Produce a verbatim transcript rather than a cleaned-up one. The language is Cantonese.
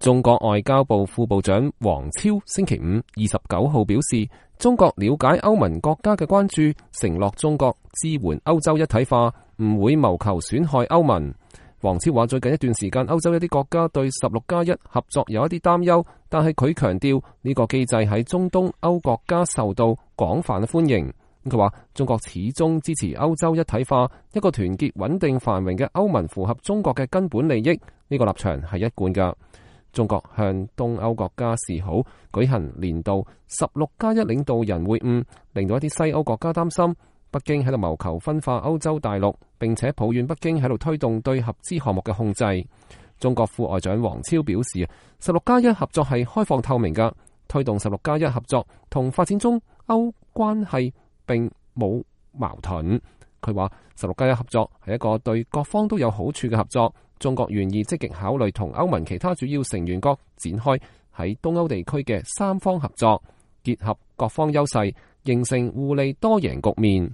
中國外交部副部長王超星期五二十九號表示，中國了解歐盟國家嘅關注，承諾中國支援歐洲一體化，唔會謀求損害歐盟。王超話，最近一段時間，歐洲一啲國家對十六加一合作有一啲擔憂，但係佢強調呢個機制喺中東歐國家受到廣泛嘅歡迎。佢話中國始終支持歐洲一體化，一個團結、穩定、繁榮嘅歐盟符合中國嘅根本利益，呢個立場係一貫㗎。中國向東歐國家示好，舉行年度十六加一領導人會晤，令到一啲西歐國家擔心北京喺度謀求分化歐洲大陸，並且抱怨北京喺度推動對合資項目嘅控制。中國副外長王超表示，十六加一合作係開放透明㗎，推動十六加一合作同發展中歐關係並冇矛盾。佢話十六加一合作係一個對各方都有好處嘅合作，中國願意積極考慮同歐盟其他主要成員國展開喺東歐地區嘅三方合作，結合各方優勢，形成互利多贏局面。